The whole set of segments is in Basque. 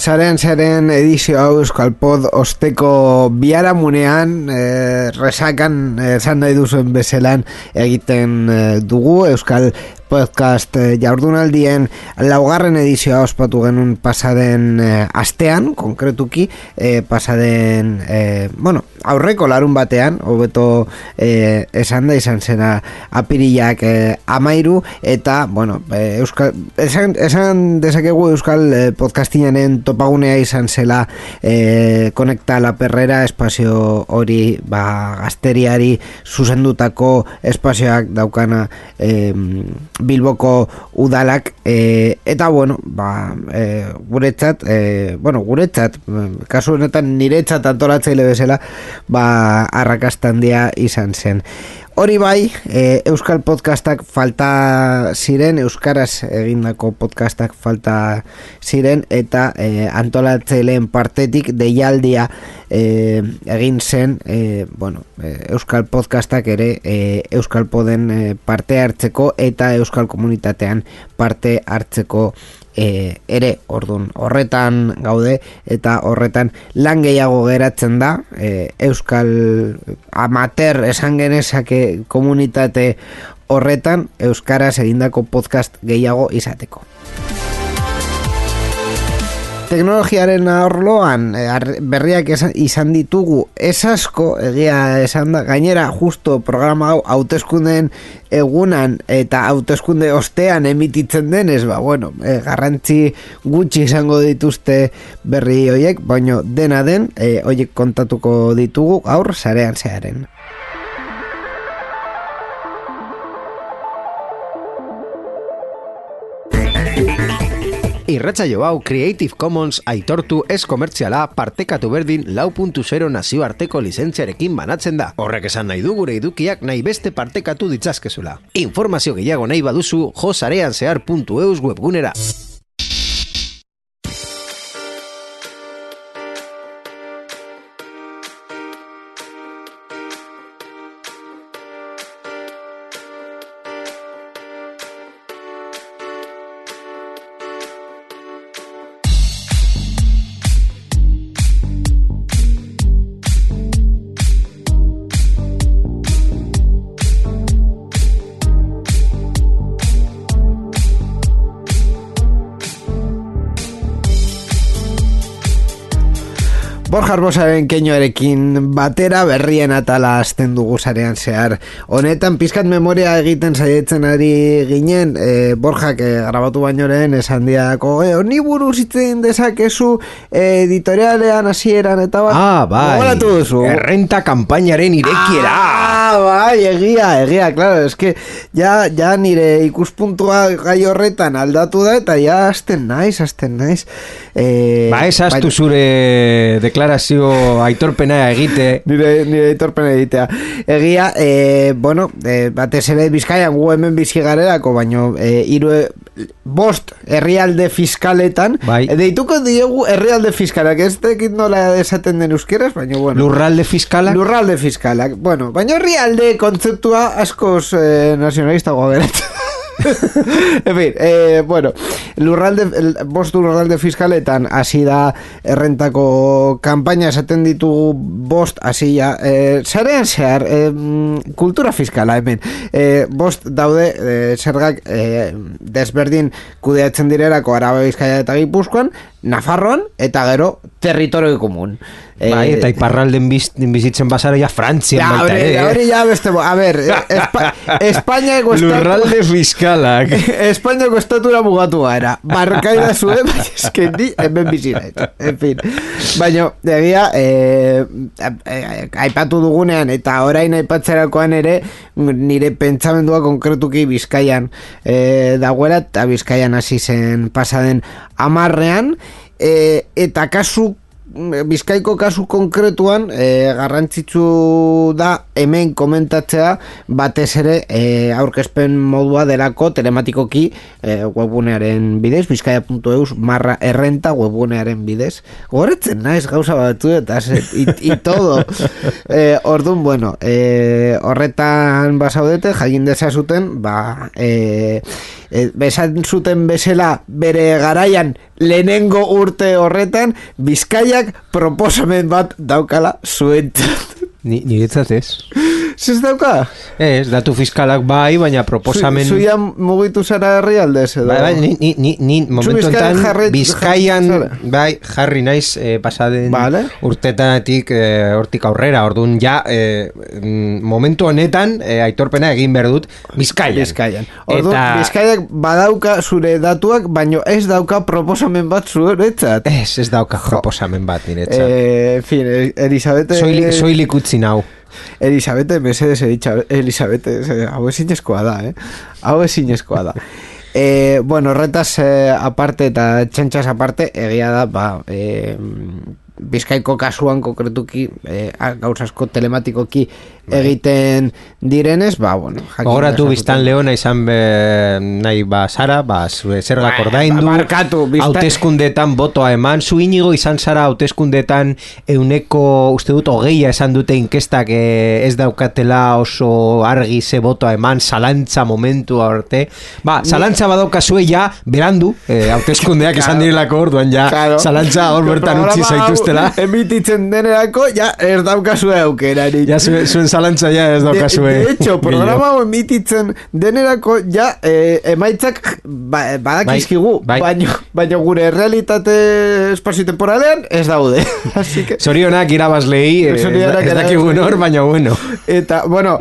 Zaren edizio hau Euskal Pod osteko biharamunean resakan esan nahi duzuen bezelan egiten dugu Euskal Podcast jardunaldien laugarren edizioa ospatu genuen pasaden astean, konkretuki pasaden aurreko larun batean, hobeto esan da izan zena apirilak 13 eta esan dezakegu Euskal Podcastinaren topagunea izan zela Konekta La Perrera espazio hori gazteriari zuzendutako espazioak daukana Bilboko udalak eta guretzat kasu honetan niretzat antolatzaile bezala arrakasta handia izan zen. Hori bai, Euskal Podcastak falta ziren, Euskaraz egindako podcastak falta ziren eta antolatzaileen partetik deialdia egin zen Euskal Podcastak ere Euskal Poden parte hartzeko eta Euskal Komunitatean parte hartzeko ere, ordun horretan gaude eta horretan lan gehiago geratzen da Euskal amateur esan genezake komunitate horretan Euskaraz egindako podcast gehiago izateko. Teknologiaren arloan berriak izan ditugu asko, egia esan da, gainera justo programa hau hauteskundeen egunan eta hauteskunde ostean emititzen denez, garrantzi gutxi izango dituzte berri hoiek, baina dena den hoiek kontatuko ditugu gaur sarean zearen. Irratsaio hau Creative Commons aitortu ez komertziala partekatu berdin 4.0 nazioarteko lizentziarekin banatzen da. Horrek esan nahi du gure edukiak nahi beste partekatu ditzazkezula. Informazio gehiago nahi baduzu josareanzehar.eus webgunera. Borja Arbosaren keinoarekin batera berrien atala hasten dugu sarean zehar. Honetan pizkat memoria egiten saietzen ari ginen, Borjak grabatu bainoren esan diako, honi buruz itzen dezakezu editorialean hasieran eta gogoratu duzu. Errenta kanpainaren irekiera. Egia, claro, eske ja nire ikuspuntua gai horretan aldatu da eta ja hasten naiz. Ezaztu zure deklarazio aitorpena egite. Nire aitorpena egitea. Egia, batez ere Bizkaian gu hemen bizi garelako, baino 5 herrialde fiskaletan, deituko diegu herrialde fiskalak, ez tekit nola esaten den euskeraz, baina Lurralde fiskalak? Lurralde fiskalak, baina herrialde kontzeptua askoz nazionalista gogeratzen. En fin, lurralde fiskaletan hasi da errentako kanpaina esaten ditugu 5 hasia, sarean zehar kultura fiskala hemen 5 daude zergak desberdin kudeatzen direlako Araba, Bizkaia eta Gipuzkoan, Nafarroan eta gero territorio komun. Eta iparralden bizitzen basara ja Frantzian baita. Hori ja beste, Espainiako lurralde fiskalak. Espainiako estatura mugatu gara. Barkaida zuen, eske ni hemen bizira. En fin. Baina, egia, aipatu dugunean eta orain aipatzerakoan ere, nire pentsamendua konkretuki Bizkaian dagoela, eta Bizkaian hasi zen pasaden 10ean, eta kasu Bizkaiko kasu konkretuan garrantzitsu da hemen komentatzea batez ere aurkezpen modua delako telematikoki webgunearen bidez, bizkaia.eus/errenta webgunearen bidez. Goretzen naiz gauza batzu eta y todo. Orduan, bueno, horretan basaudete, jakin dezazuten, besan zuten bezala bere garaian lehenengo urte horretan Bizkaiak proposamen bat daukala zuentzat. Niretzat ez. Zez dauka? Ez, datu fiskalak bai, baina proposamen... Zuia mugitu zara herrialdez edo? Bai, ni momentu enten Bizkaian bai, jarri naiz pasaden urtetatik hortik aurrera, orduan ja momentu honetan aitorpena egin behar dut Bizkaian. Orduan, Bizkaiak badauka zure datuak, baino ez dauka proposamen bat zuretzat. Ez dauka proposamen bat niretzat. En fin, Elisabete... Soilik utzi nau. Elisabete, mesedes, Elisabete, hau ezinezkoa da, Hau ezinezkoa da. Bueno, horretaz aparte eta txantxas aparte, egia da, Bizkaiko kasuan konkretuki gauzasko telematikoki egiten direnez, bueno, gogoratu biztan leona izan nahi zara, zergak ordaindu, hauteskundetan botoa eman, zu Inigo izan zara hauteskundetan euneko, uste dut, 20 esan dute inkestak ez daukatela oso argi ze botoa eman, zalantza momentu arte, zalantza badaukazue ja, berandu, hauteskundeak esan direlako orduan ja, zalantza hor bertan utzi zaituztela. Emititzen denerako, ja, ez daukazue aukerarik. Ja, zuen zalantza ja ez daukazue. De hecho, programa emititzen denerako, ja, emaitzak badakizkigu, baina gure realitate espazio-temporalean ez daude. Zorionak irabazlei, ez dakigu nor, baina bueno. Eta, bueno,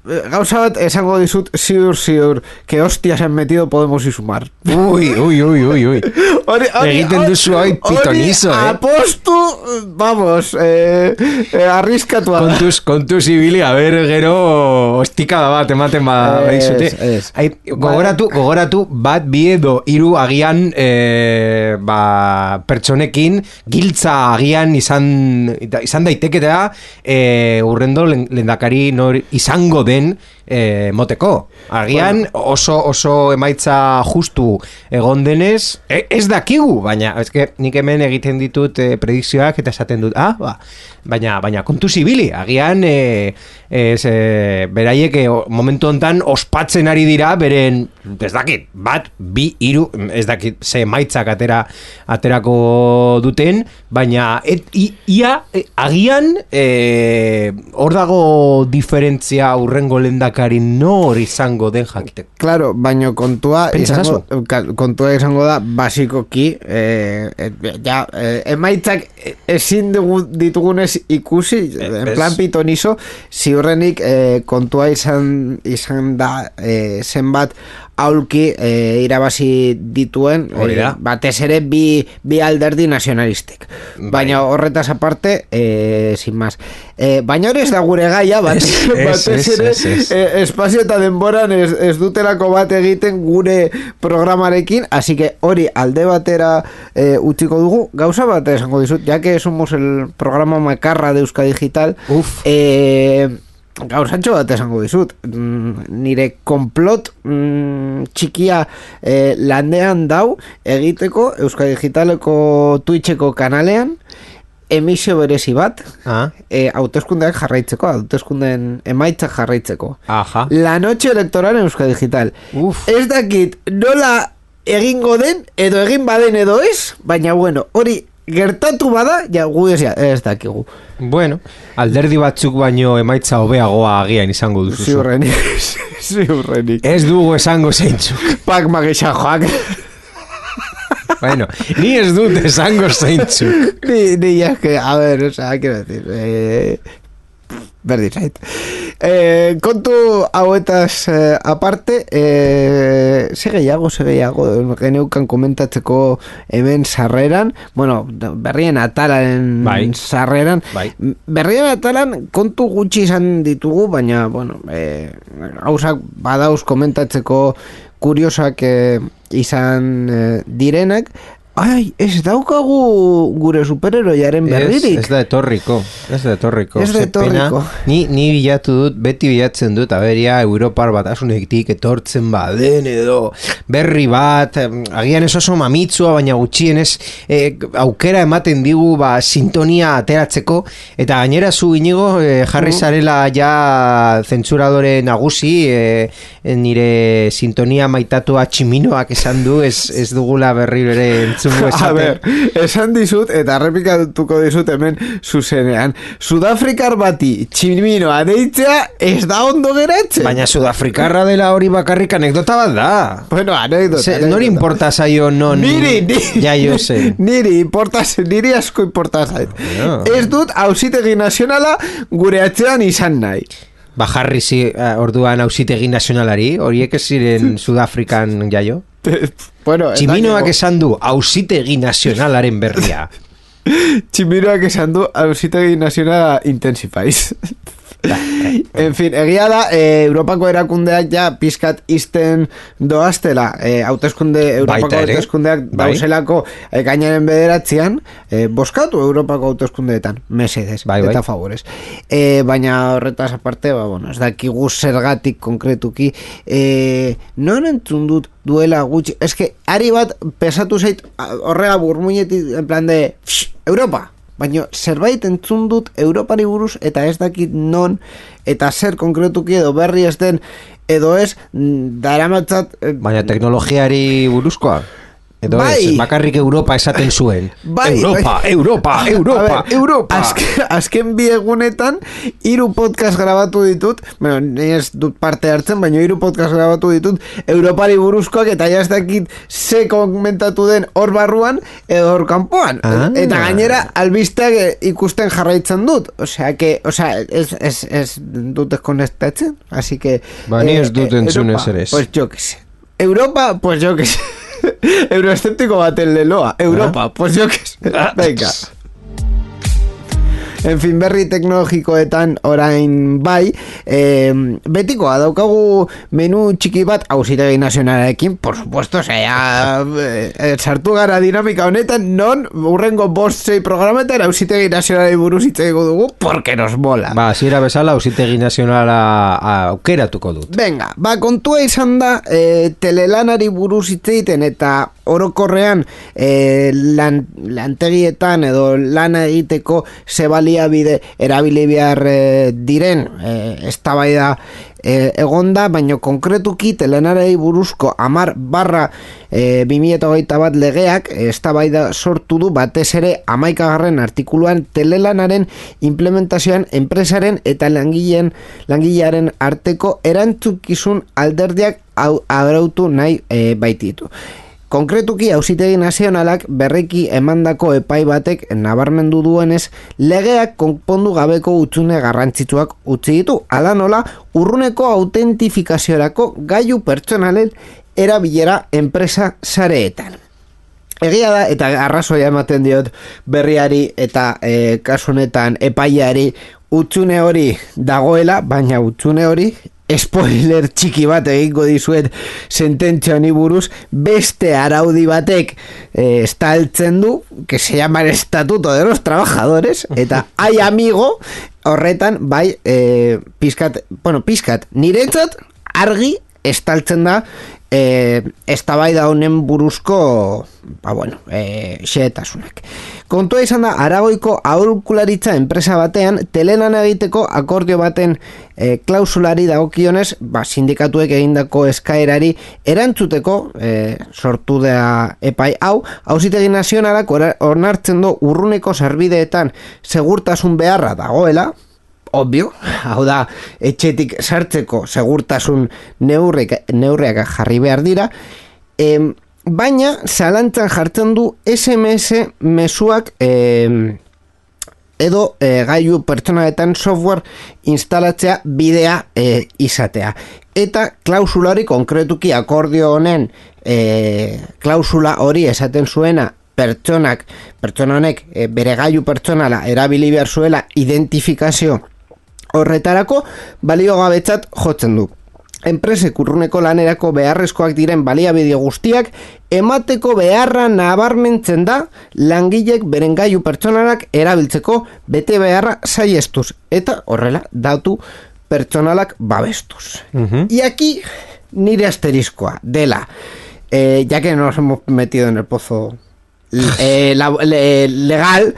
gauza bat esango dizut ziur que hostias han metido Podemos y Sumar. Uy. Egiten duzu hoi pitonizo, apostu, vamos, arriskatu. Kontuz ibili, a ver, gero ostikada bat ematen badizute. Gogoratu bat bi edo hiru agian pertsonekin giltza agian izan daiteketea urrendo lehendakari nor izango den moteko. Agian oso emaitza justu egon denez, ez dakigu, baina nik hemen egiten ditut predikzioak eta esaten dut, baina kontu zibili, agian beraiek momentu hontan ospatzen ari dira beren, ez dakit, bat, bi, hiru, ez dakit, ze emaitzak aterako duten, baina agian hor dago diferentzia urrengo lehendakari nor izango den jakiteko. Claro, baina kontua izango da basikoki emaitzak ezin ditugunez ikusi, en plan pitonizo, ziurrenik kontua izan da zenbat aulki irabazi dituen batez ere bi alderdi nazionalistek. Baina horretaz aparte, sin más. Baina hori ez da gure gaia, batez ere espazio eta denboran ez dutelako bat egiten gure programarekin, así que hori alde batera utziko dugu. Gauza bat esango dizut, ya que somos el programa makarra de Euskadi Digital, gauzantxo bat esango dizut, nire konplot txikia landean dau egiteko Euskadi Digitaleko Twitcheko kanalean emisio berezi bat hauteskundeak jarraitzeko, hauteskundeen emaitzak jarraitzeko. La noche electoral en Euskadi Digital. Ez dakit nola egingo den edo egin baden edo ez, baina bueno, hori gertatu bada, ja gu ez dakigu. Bueno, alderdi batzuk baino emaitza hobeagoa agian izango duzu. Ziurrenik. Ez dugu esango zeintzuk. Pak magisa joak. Bueno, ni ez dut esango zeintzuk. Ni ya que, a ver, o sea, quiero decir, berdin zait. Kontu hauetaz aparte, ze gehiago geneukan komentatzeko hemen sarreran, bueno, berrien atalaren sarreran, berrien atalan kontu gutxi izan ditugu, baina, bueno, hausak badauz komentatzeko kuriosak izan direnak. Ai, ez daukagu gure superheroiaren berririk. Ez da etorriko. Ez da etorriko. Ni bilatu dut, beti bilatzen dut, aberia Europar batasunetik etortzen baden edo berri bat, agian ez oso mamitzua, baina gutxienez aukera ematen digu sintonia ateratzeko, eta gainera zu Inigo jarri zarela ja zentsuradore nagusi, nire sintonia maitatua tximinoak esan du, ez dugula berri bere a ver, esan dizut eta errepikatuko dizut hemen zuzenean. Sudafrikar bati tximinoa deitzea ez da ondo geratzen. Baina Sudafrikarra dela hori bakarrik anekdota bat da. Bueno, anekdota. Nori importa zaio non... Niri. Ja, jo sé. Niri asko importa zait. No. Ez dut auzitegi nazionala gure atzean izan nahi. Jarri orduan auzitegi nazionalari, horiek ez ziren Sudafrikan jaio? Bueno, Tximinoak esan du auzitegi nazionalaren berria. Tximinoak esan du auzitegi nazionala intensifies. En fin, egia da, Europako erakundeak ja pizkat izten doaztela, Europako hauteskundeak dauzelako gainaren bederatzean, boskatu Europako hauteskundeetan, mesedez, eta favorez. Baina horretaz aparte, ez dakigu zergatik konkretuki, non entzun dut duela gutxi, eske, ari bat pesatu zait horrela burmuinetik, en plan de, Europa! Baina zerbait entzun dut Europari buruz eta ez dakit non eta zer konkretuki edo berri ez den edo ez daramatzat... Baina teknologiari buruzkoa? Edo ez, bakarrik Europa esaten zuen. Europa! Azken bi egunetan 3 podcast grabatu ditut, bueno, ni ez dut parte hartzen, baina 3 podcast grabatu ditut Europari buruzkoak eta jaztakit ze komentatu den hor barruan edo hor kanpoan. Eta gainera albisteak ikusten jarraitzen dut. Osea, ez dut konektatzen, así que... Ni ez dut entzun ezer ez. Pues yo que sé. Europa, pues yo que sé. Euroescéptico baten leloa. Europa, pues yo que sé. Venga. En fin, berri teknologikoetan orain bai, betikoa daukagu menu txiki bat auzitegi nazionalarekin, por supuesto, sartu gara dinamika honetan, non urrengo 5-6 programetan auzitegi nazionalari buruz hitz egingo dugu, porque nos mola. Zira bezala auzitegi nazionala aukeratuko dut. Venga, kontua izan da, telelanari buruz hitz egiten eta orokorrean lantegietan edo lana egiteko zebali bide erabili behar diren eztabaida egonda, baina konkretuki telenarei buruzko 10/2021 legeak eztabaida sortu du batez ere 11. artikuluan telelanaren implementazioan enpresaren eta langilearen arteko erantzukizun alderdiak arautu nahi baititu. Konkretuki auzitegi nazionalak berriki emandako epai batek nabarmendu duenez legeak konpondu gabeko hutsune garrantzitsuak utzi ditu. Hala nola, urruneko autentifikaziorako gailu pertsonalen erabilera enpresa sareetan. Egia da, eta arrazoia ematen diot berriari eta kasu honetan epaiari hutsune hori dagoela, baina hutsune hori spoiler txiki bat egingo dizuet sententzia honi buruz, beste araudi batek estaltzen du, que se llama el Estatuto de los Trabajadores, eta ai amigo horretan bai pizkat niretzat argi estaltzen da eztabaida honen buruzko xehetasunak. Kontua izan da, Aragoiko aholkularitza enpresa batean telelan egiteko akordio baten klausulari dagokionez, sindikatuek egindako eskaerari erantzuteko sortu da epai hau, auzitegi nazionalak onartzen du urruneko sarbideetan segurtasun beharra dagoela, obvio, hau da, etxetik sartzeko segurtasun neurriak jarri behar dira, baina zalantzan jartzen du SMS mezuak edo gailu pertsonaletan software instalatzea bidea izatea. Eta klausula hori konkretuki akordio honen klausula hori esaten zuena pertsona honek bere gailu pertsonala erabili behar zuela identifikazio horretarako baliogabetzat jotzen du. enpresek urruneko lanerako beharrezkoak diren baliabide guztiak emateko beharra nabarmentzen da langilek beren gailu pertsonalak erabiltzeko bete beharra saihestuz eta horrela datu pertsonalak babestuz. Y aquí nire asteriscoa dela, ya que nos hemos metido en el pozo legal,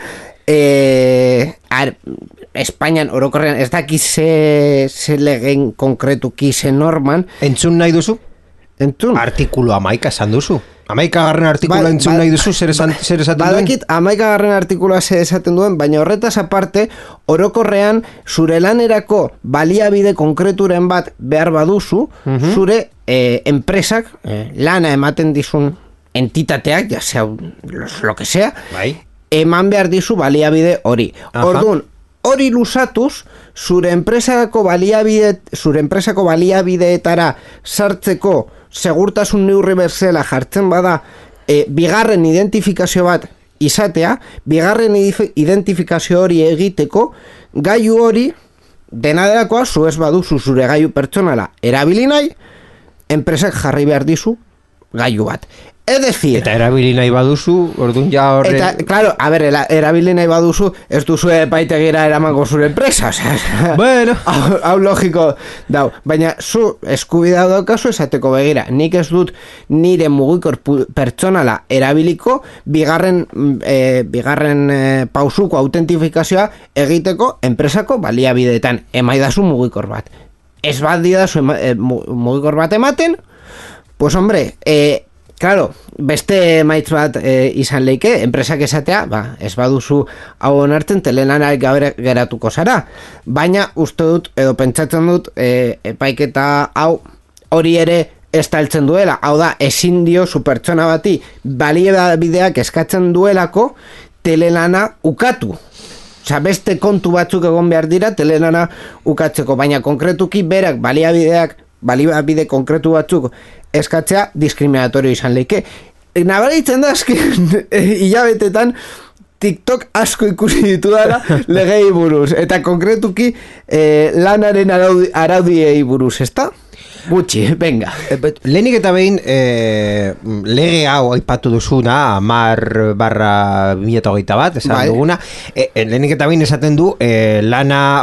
Espainian orokorrean ez daki ze legen konkretuki ze norman. Entzun nahi duzu? Entzun. Artikulu 11 esan duzu. 11 artikulua entzun nahi duzu, zer esaten duen? Badakit 11 artikulua zer esaten duen, baina horretaz aparte, orokorrean zure lanerako baliabide konkreturen bat behar baduzu, zure enpresak, lana ematen dizun entitateak, ya sea lo que sea, eman behar dizu baliabide hori. Orduan, hori lusatuz, zure enpresako baliabideetara sartzeko segurtasun neurri berzela jartzen bada bigarren identifikazio bat izatea, bigarren identifikazio hori egiteko, gailu hori dena delakoa zu ez baduzu zure gailu pertsonala erabili nahi, enpresak jarri behar dizu gailu bat. Es decir... Eta erabili nahi baduzu, orduan ja horre... Eta, claro, a ver, erabili nahi baduzu, ez duzu epaitegira eramango zure enpresa, o sea... Bueno... Hau logiko dau. Baina, zu eskubidea daukazu esateko begira. Nik ez dut nire mugikor pertsonala erabiliko bigarren pausuko autentifikazioa egiteko enpresako baliabideetan. Emaidazu mugikor bat. Ez bat didazu mugikor bat ematen, pues hombre... Claro, beste maitz bat izan leike, enpresak esatea, ez baduzu hau onartzen telelanak gabe geratuko zara. Baina uste dut, edo pentsatzen dut, epaiketa hau hori ere estaltzen duela. Hau da, ezin dio zu pertsona bati baliabideak eskatzen duelako telelana ukatu. Osa, beste kontu batzuk egon behar dira telelana ukatzeko, baina konkretuki berak baliabide konkretu batzuk eskatzea diskriminatorio izan leike. Nabaritzen da, hilabetetan TikTok asko ikusi ditu dara legei buruz, eta konkretuki lanaren araudiei buruz, ezta? Gutxi, venga. Lehenik eta behin lege hau aipatu duzuna 10/2021 esan duguna, lehenik eta behin esaten du lana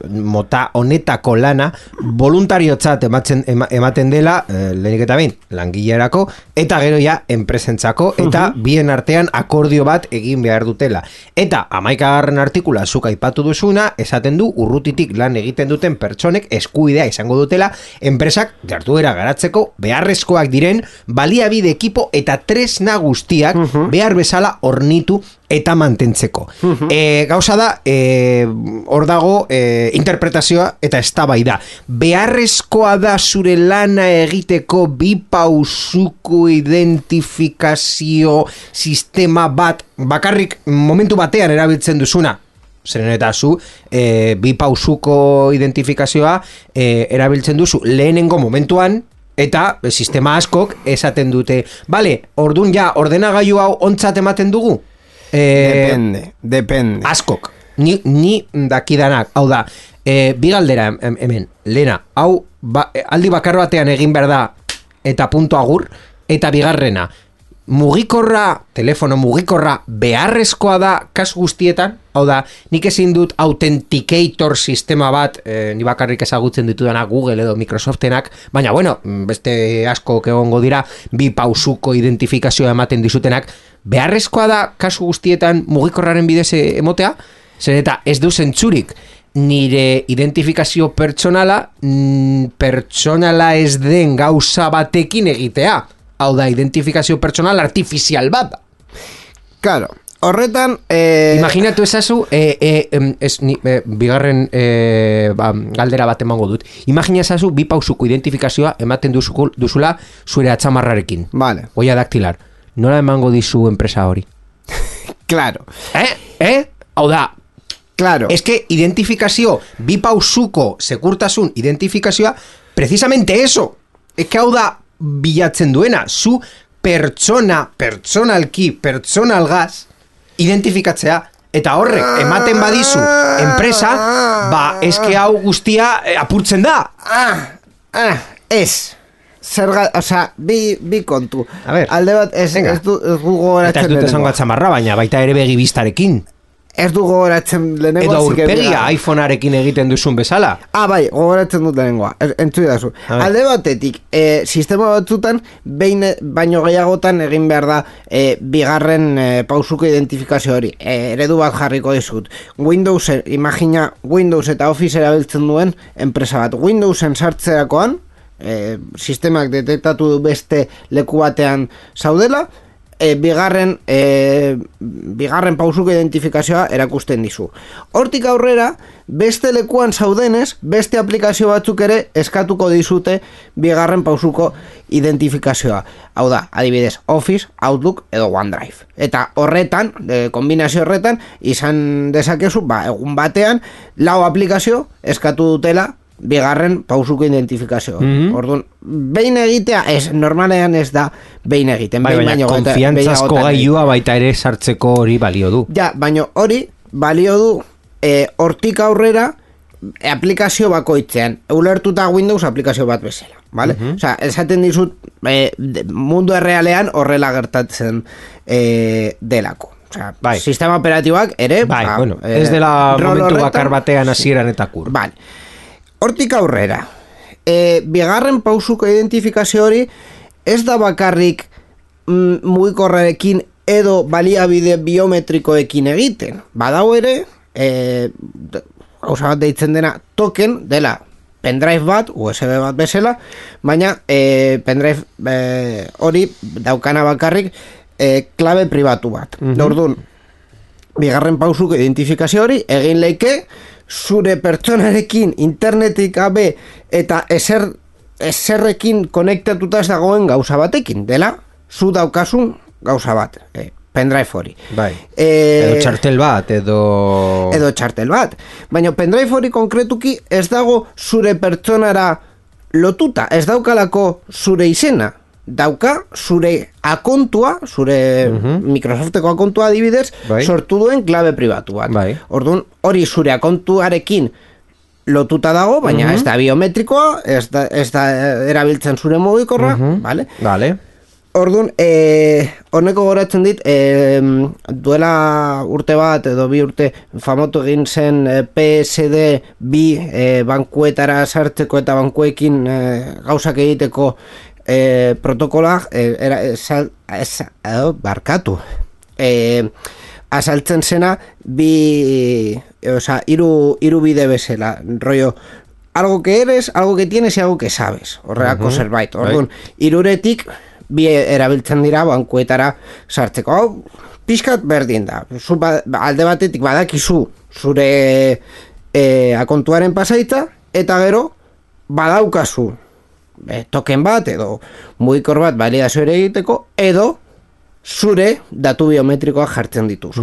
mota honetako lana voluntariotzat ematen dela, lehenik eta behin langilerako eta gero ja enpresentzako eta bien artean akordio bat egin behar dutela. Eta 11. artikula zuk aipatu duzuna esaten du urrutitik lan egiten duten pertsonek eskubidea izango dutela enpresak jarduera garatzeko beharrezkoak diren baliabide ekipo eta tresna guztiak behar bezala hornitu eta mantentzeko. Gauza da, hor dago interpretazioa eta eztabaida. Beharrezkoa da zure lana egiteko bi pausuko identifikazio sistema bat bakarrik momentu batean erabiltzen duzuna. Zeren eta zu, bi pausuko identifikazioa erabiltzen duzu lehenengo momentuan, eta sistema askok esaten dute, bale, ordun ja, ordenagailu hau ontzat ematen dugu? Depende. Askok. Ni dakidanak, hau da, bi galdera hemen, lehena, hau aldi bakar batean egin behar da, eta punto agur, eta bigarrena, telefono mugikorra beharrezkoa da kasu guztietan, hau da, nik ezin dut authenticator sistema bat, ni bakarrik ezagutzen ditudana Google edo Microsoftenak, baina bueno, beste asko egongo dira, bi pausuko identifikazioa ematen dizutenak, beharrezkoa da kasu guztietan mugikorraren bidez emotea, zer eta ez du zentzurik, nire identifikazio pertsonala ez den gauza batekin egitea. Hau da, identifikazio pertsonal artifizial bat. Claro, horretan... Imaginatu ezazu, bigarren galdera bat emango dut. Imagina ezazu, bi pausuko identifikazioa ematen duzula zure atzamarrarekin. Vale. Oia daktilar. Nola emango dizu enpresa hori? Claro. Hau da, claro. Es que identifikazio, bi pausuko sekurtasun identifikazioa, precisamente eso. Es que hau da, bilatzen duena, zu pertsonalgaz identifikatzea, eta horrek ematen badizu enpresa, eske hau guztia apurtzen da. Ez. Bi kontu. A ver, alde bat, ez du gogoratzen. Eta ez dut esango atzamarra, baina baita ere begi bistarekin. Ez du gogoratzen lehenengo. Edo aurpegia iPhonearekin egiten duzun bezala. Bai, gogoratzen dut lehenengoa. Entzu dazu. Alde batetik, sistema batzutan, baino gehiagotan egin behar da bigarren pausuko identifikazio hori. Eredu bat jarriko dizut. Imagina Windows eta Office erabiltzen duen enpresa bat. Windowsen sartzeakoan, sistemak detektatu du beste leku batean zaudela, bigarren pausuko identifikazioa erakusten dizu. Hortik aurrera, beste lekuan zaudenez, beste aplikazio batzuk ere eskatuko dizute bigarren pausuko identifikazioa. Hau da, adibidez, Office, Outlook edo OneDrive. Eta horretan, kombinazio horretan, izan dezakezu, egun batean, 4 aplikazio eskatu dutela bigarren pausuko identifikazioa. Orduan, behin egitea, normalean ez da behin egiten. Baina konfiantzazko gailua baita ere sartzeko hori balio du. Ja, baina hori balio du hortik aurrera aplikazio bakoitzean. Ulertuta Windows aplikazio bat bezala. Vale? Osea, esaten dizut mundu errealean horrela gertatzen delako. Osea, sistema operatiboak ere ez dela momentu bakar batean hasieran eta kur. Vale. Hortik aurrera, bigarren pausuko identifikazio hori ez da bakarrik mugikorrarekin edo baliabide biometrikoekin egiten. Badau ere, gauza bat deitzen dena token dela pendrive bat, USB bat bezala, baina pendrive hori daukana bakarrik klabe pribatu bat. Orduan, bigarren pausuko identifikazio hori egin leike zure pertsonarekin internetik gabe eta eserrekin konektatuta ez dagoen gauza batekin, dela zu daukasun gauza bat, pendrive hori. Edo txartel bat, edo txartel bat. Baina pendrive hori konkretuki ez dago zure pertsonara lotuta, ez daukalako zure izena. Dauka zure akontua, zure Microsofteko akontua adibidez, sortu duen klabe pribatu bat. Orduan, hori zure akontuarekin lotuta dago, baina ez da biometrikoa, ez da erabiltzen zure mugikorra, vale? Orduan, honeko goratzen dit, duela urte bat edo 2 urte famotu egin zen PSD2 bankuetara sartzeko eta bankuekin gauzak egiteko protokola barkatu asaltzen zena hiru bide bezala, rollo algo que eres, algo que tienes y algo que sabes, horreako zerbait. Orduan, hiruretik bi erabiltzen dira bankuetara sartzeko. Hau pixkat berdin da, alde batetik badakizu zure akontuaren pasaitza eta gero badaukazu token bat edo mugikor bat validazio ere egiteko edo zure datu biometrikoa jartzen dituz.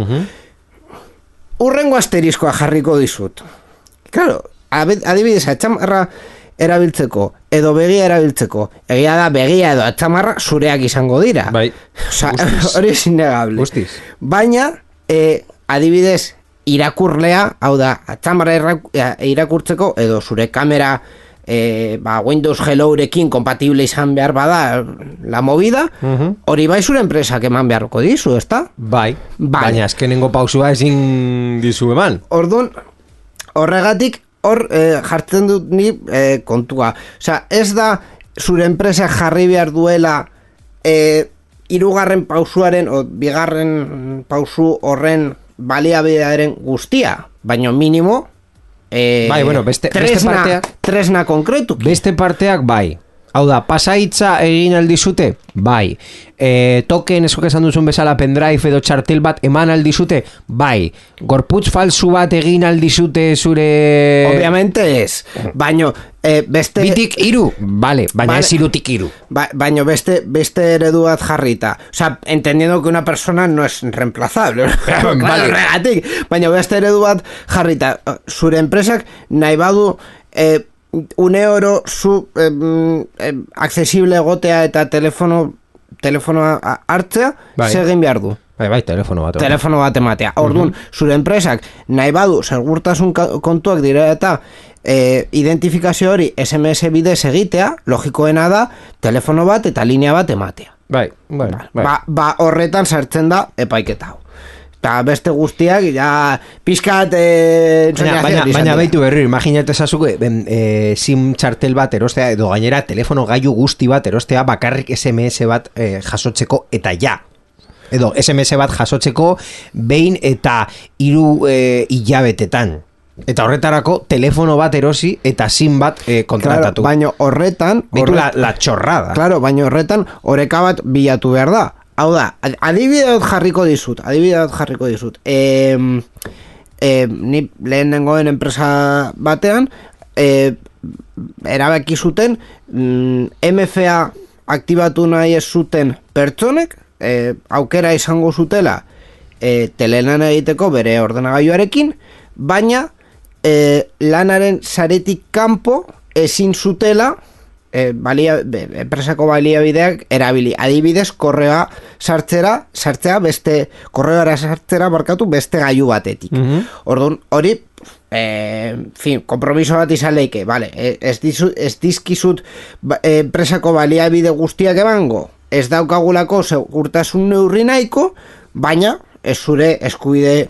Urrengo asteriskoa jarriko dizut. Claro, adibidez atzamarra erabiltzeko edo begia erabiltzeko, egia da begia edo atzamarra zureak izango dira. Hori es innegable. Baina adibidez irakurlea, hau da atzamarra irakurtzeko edo zure kamera Windows Hellorekin kompatible izan behar bada la movida, hori bai zure enpresak eman beharko dizu, ezta? Baina azkenengo pausua ezin dizu eman. Orduan, horregatik jartzen dut ni kontua. Osea, ez da zure enpresak jarri behar duela hirugarren pausuaren o bigarren pausu horren baliabidearen guztia, baina minimo tresna konkretu. Beste parteak bai. Hau da, pasaitza egin aldizute? Bai. Token esok esan duzun bezala pendrive edo txartel bat eman aldizute? Bai. Gorputz falsu bat egin aldizute zure... Obviamente ez. Baina beste... Bitik iru? Vale, baina ez irutik iru. Baina beste eredu bat jarrita. O sea, entendiendo que una persona no es reemplazable. Vale. Baina beste eredu bat jarrita. Zure enpresak nahi badu... €1 zu accesible egotea eta telefonoa hartzea, segin behar du. Telefono bat ematea. Orduan, zure enpresak nahi badu segurtasun kontuak dira eta identifikazio hori SMS bidez egitea, logikoena da, telefono bat eta linea bat ematea. Bai, bueno, Ba, horretan sartzen da epaiketa hau. Eta beste guztiak, ja, pizkat... Baina baitu berri, imaginate esazuko, SIM txartel bat erostea, edo gainera telefono gailu guzti bat erostea, bakarrik SMS bat jasotzeko eta ja. Edo SMS bat jasotzeko behin eta 3 hilabetetan. Eta horretarako telefono bat erosi eta SIM bat kontratatu. Claro, baina horretan... Beitu la txorrada. Claro, baina horretan oreka bat bilatu behar da. Hau da, adibide dut jarriko dizut. Ni lehen nengoen enpresa batean, erabaki zuten, MFA aktibatu nahi ez zuten pertsonek, aukera izango zutela telelan egiteko bere ordenagailuarekin, baina lanaren saretik kanpo ezin zutela enpresako baliabideak erabili. Adibidez, korreoa sartzea beste korreoara sartzera beste gailu batetik. Orduan, hori kompromiso bat izan leike, vale, ez dizkizut enpresako baliabide guztiak emango, ez daukagulako segurtasun neurri nahiko, baina ez zure eskubide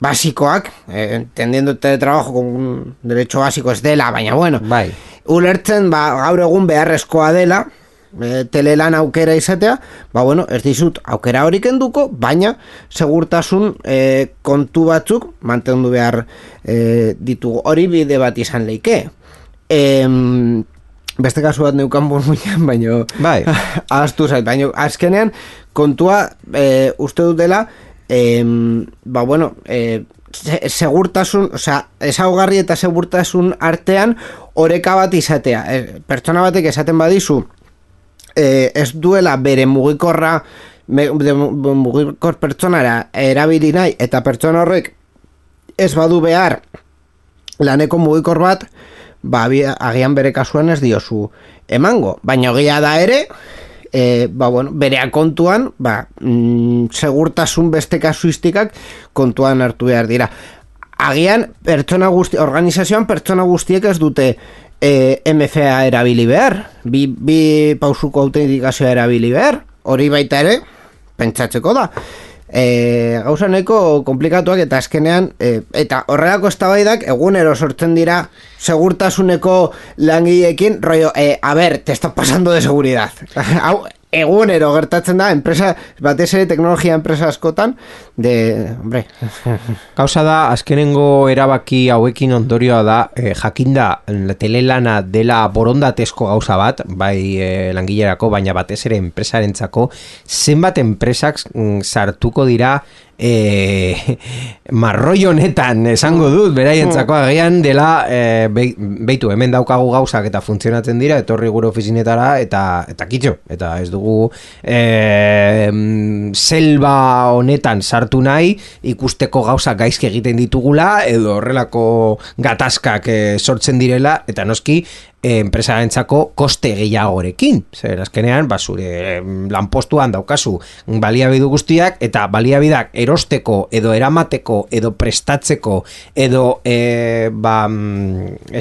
basikoak, entendiendo teletrabajo con un derecho básico ez dela, baina bueno, bai. Ulertzen, gaur egun beharrezkoa dela, telelan aukera izatea, bueno, ez dizut aukera hori kenduko, baina segurtasun kontu batzuk mantendu behar ditugu. Hori bide bat izan leike. Beste kasu bat neukan burmuian, baina bai. Ahaztu zait, baina azkenean kontua uste dut dela, bueno, segurtasun, ezaugarri eta segurtasun artean oreka bat izatea. Pertsona batek esaten badizu ez duela bere mugikor pertsonara erabili nahi eta pertsona horrek ez badu behar laneko mugikor bat, agian bere kasuan ez diozu emango, baina egia da ere, bueno, berea kontuan, segurtasun beste kasuistikak kontuan hartu behar dira. Agian, organizazioan pertsona guztiek ez dute MFA erabili behar, bi pausuko autentikazioa erabili behar, hori baita ere, pentsatzeko da. Gauza nahiko komplikatuak eta azkenean, eta horrelako eztabaidak egunero sortzen dira segurtasuneko langileekin, rollo, a ver, te estás pasando de seguridad. Hau, egunero gertatzen da, enpresa, batez ere teknologia enpresa askotan, hombre. Gauza da, azkenengo erabaki hauekin ondorioa da, jakinda telelana dela borondatezko gauza bat, bai langilerako, baina batez ere enpresarentzako, zenbat enpresak sartuko dira marroi honetan esango dut beraientzako agian dela beitu hemen daukagu gauzak eta funtzionatzen dira, etorri gure ofizinetara eta kitxo, eta ez dugu selva honetan sartu nahi ikusteko gauzak gaizki egiten ditugula edo horrelako gatazkak sortzen direla eta noski enpresarentzako koste gehiagorekin. Zer azkenean, zure lanpostuan daukazu baliabidu guztiak eta baliabidak erosteko edo eramateko edo prestatzeko edo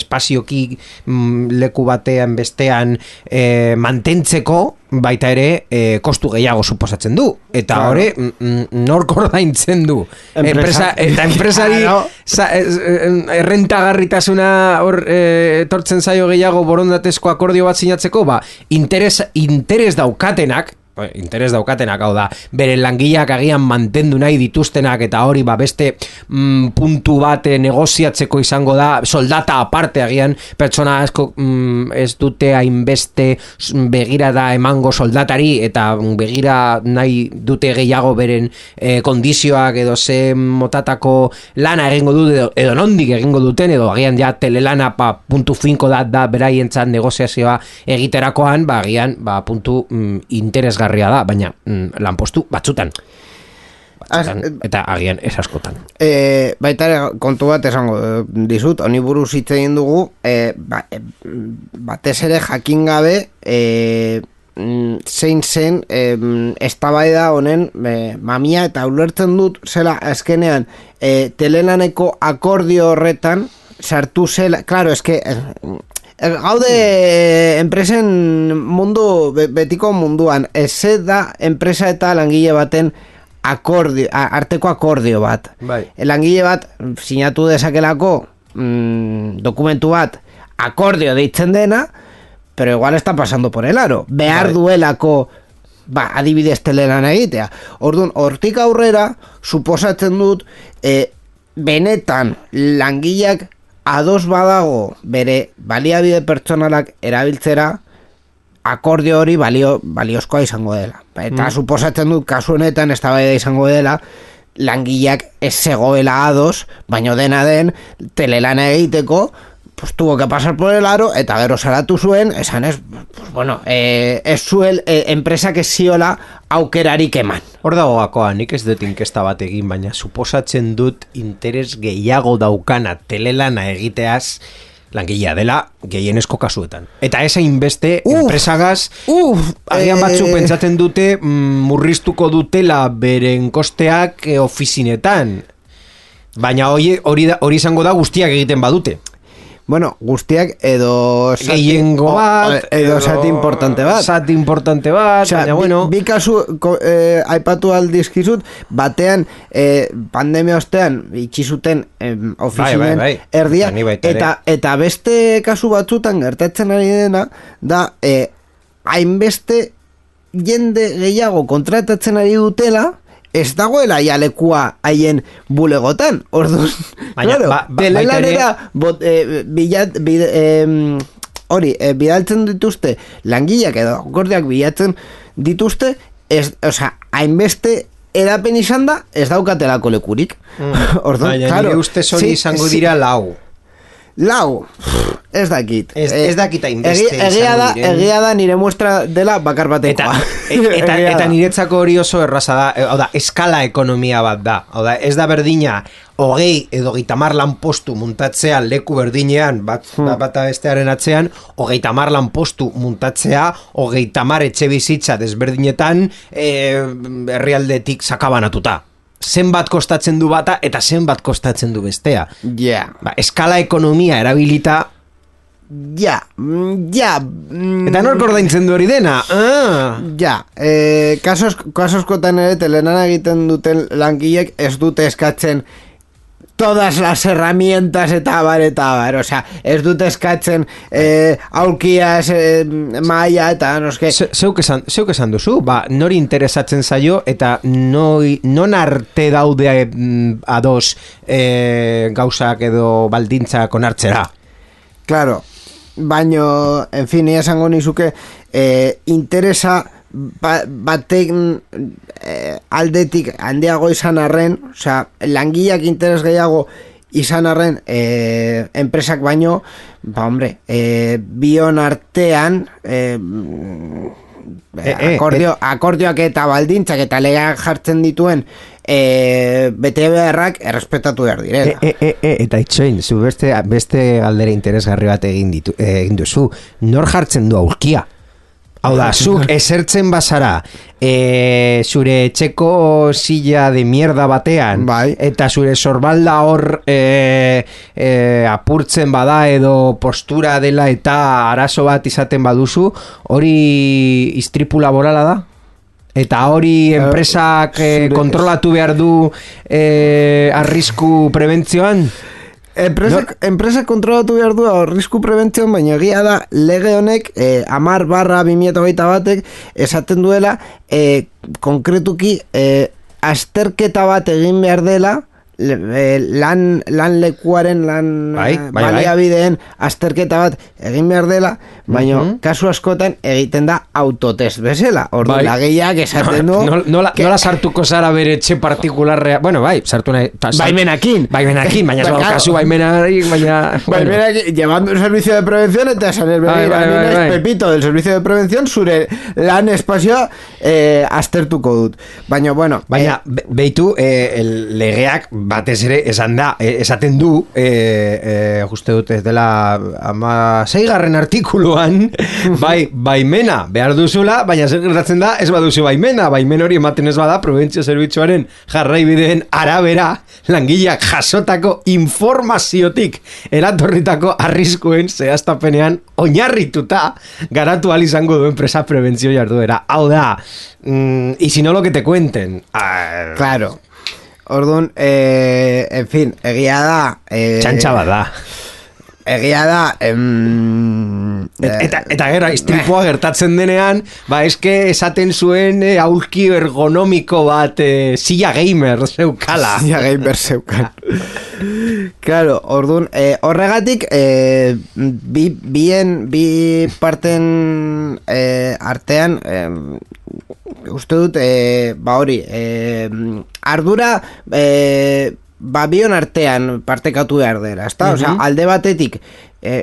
espazioki leku batean bestean mantentzeko baita ere kostu gehiago suposatzen du eta hori nork ordaintzen du enpresari errentagarritasuna hor etortzen zaio gehiago borondatezko akordio bat sinatzeko interes daukatenak hau da bere langileak agian mantendu nahi dituztenak eta hori beste puntu bat negoziatzeko izango da soldata aparte agian pertsona asko ez dute hainbeste begirada emango soldatari eta begira nahi dute gehiago beren kondizioak edo ze motatako lana egingo dute edo nondik egingo duten edo agian ja telelana puntu finko da beraientzat negoziazioa egiterakoan agian puntu interesgarria da, baina lanpostu batzutan eta agian ez askotan. Baita ere kontu bat esango dizut, honi buruz hitz egin dugu, batez ere jakin gabe zein zen eztabaida honen mamia eta ulertzen dut zela azkenean telelaneko akordio horretan sartu zela, claro, eske gaude enpresen mundu, betiko munduan, ez da enpresa eta langile baten arteko akordio bat. Bai. Langile bat sinatu dezakelako dokumentu bat akordio deitzen dena, pero igual está pasando por el aro. Behar duelako adibidez telelan egitea. Orduan, hortik aurrera, suposatzen dut, benetan langileak ados badago bere baliabide pertsonalak erabiltzera, akordio hori baliozkoa izango dela. Eta suposatzen dut, kasu honetan eztabaida izango dela, langileak ez zegoela ados, baino dena den, telelana egiteko, pues tuvo que pasar por el aro, eta gero salatu zuen, esan ez, pues bueno, ez zuel enpresak ez ziola aukerarik eman. Hor dago gakoa, nik ez dut inkesta bat egin, baina suposatzen dut interes gehiago daukana telelana egiteaz langilea dela gehienezko kasuetan. Eta ez hainbeste enpresagaz, agian batzuk pentsatzen dute murriztuko dutela beren kosteak ofizinetan. Baina hori izango da guztiak egiten badute. Bueno, guztiak edo gehiengo bat, edo zati importante bat. Zati importante bat, o sea, baina bueno. Bi kasu aipatu aldizkizut, batean pandemia ostean itxizuten ofizinen erdia, eta beste kasu batzutan gertatzen ari dena, da hainbeste jende gehiago kontratatzen ari dutela, ez dagoela jalekua haien bulegotan. Orduan, claro, telelanera bidaltzen dituzte langileak edo akordiak bilatzen dituzte, hainbeste edapen izan da, ez daukatelako lekurik. Orduan, baina claro, nire ustez hori izango dira lau, ez dakit. Ez dakit hainbeste egia da nire muestra dela bakar batekoa. Eta niretzako hori oso erraza da, eskala ekonomia bat da. Ez da berdina 20 edo 30 lanpostu muntatzea leku berdinean, bata bestearen atzean, 30 lanpostu muntatzea 30 etxe bizitza desberdinetan herrialdetik sakabanatuta. Zenbat kostatzen du bata eta zenbat kostatzen du bestea. Eskala ekonomia erabilita. Eta nork ordaintzen du hori dena? Kasoskotan ere telenana egiten duten langileek ez dute eskatzen todas las herramientas eta bar, o sea, ez dute eskatzen aulkiaz maia eta noske. Zeuk esan duzu, nori interesatzen zaio eta non arte daude ados gauzak edo baldintzak onartzera. Claro, baino, en fin, esango nizuke interesa batek aldetik handiago izan arren, osea, langileak interes gehiago izan arren enpresak baino, bion artean akordioak eta baldintzak eta legeak jartzen dituen bete beharrak errespetatu behar direla. Eta itxoin, zu beste galdera interesgarri bat egin duzu, nor jartzen du aurkia? Hau da, zuk esertzen bazara zure etxeko silla de mierda batean, eta zure sorbalda hor apurtzen bada edo postura dela eta arazo bat izaten baduzu, hori istripu laborala da? Eta hori enpresak kontrolatu behar du arrisku prebentzioan? Enpresak kontrolatu behar du arrisku prebentzioan, baina egia da lege honek 10/2021 esaten duela konkretuki azterketa bat egin behar dela lan lekuaren baliabideen azterketa bat egin behar dela, baina kasu askotan egiten da autotest bezala. Ordu lagiak esaten du nola sartuko zara bere etxe partikularrea, bueno, sartu nahi baimenakin, baina kasu baimenarik, llevando un servicio de prevención eta esan ez Pepito del servicio de prevención zure lan espazioa aztertuko dut, baina bueno, beitu legeak batez ere esaten du uste dut ez dela 16. artikuluan baimena behar duzula, baina zer gertatzen da ez baduzu baimena hori ematen ez bada prebentzio zerbitzuaren jarraibideen arabera langileak jasotako informaziotik eratorritako arriskuen zehaztapenean oinarrituta garatu ahal izango du enpresa prebentzio jarduera. Hau da, y si no lo que te cuenten. Claro. Orduan, en fin, egia da... Txantxa bat da. Egia da... Eta gero, istripua gertatzen denean, eske esaten zuen aulki ergonomiko bat silla gamer zeukala. Silla gamer zeukan. Claro, orduan, horregatik, bi parten artean... uste dut, hori, ardura bion artean partekatu behar dela, ezta? Osea, alde batetik,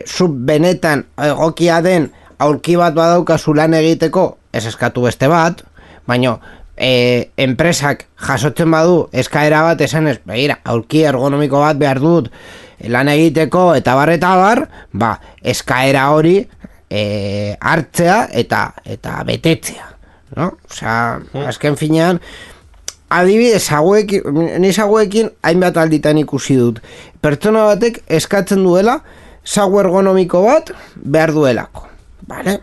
zuk benetan egokia den aulki bat badaukazu lan egiteko, ez eskatu beste bat, baina enpresak jasotzen badu eskaera bat esanez, begira, aulki ergonomiko bat behar dut lan egiteko eta bar, eskaera hori hartzea eta betetzea. No? Osea, azken finean adibidez, hauekin hainbat alditan ikusi dut. Pertsona batek eskatzen duela sagu ergonomiko bat behar duelako. Vale?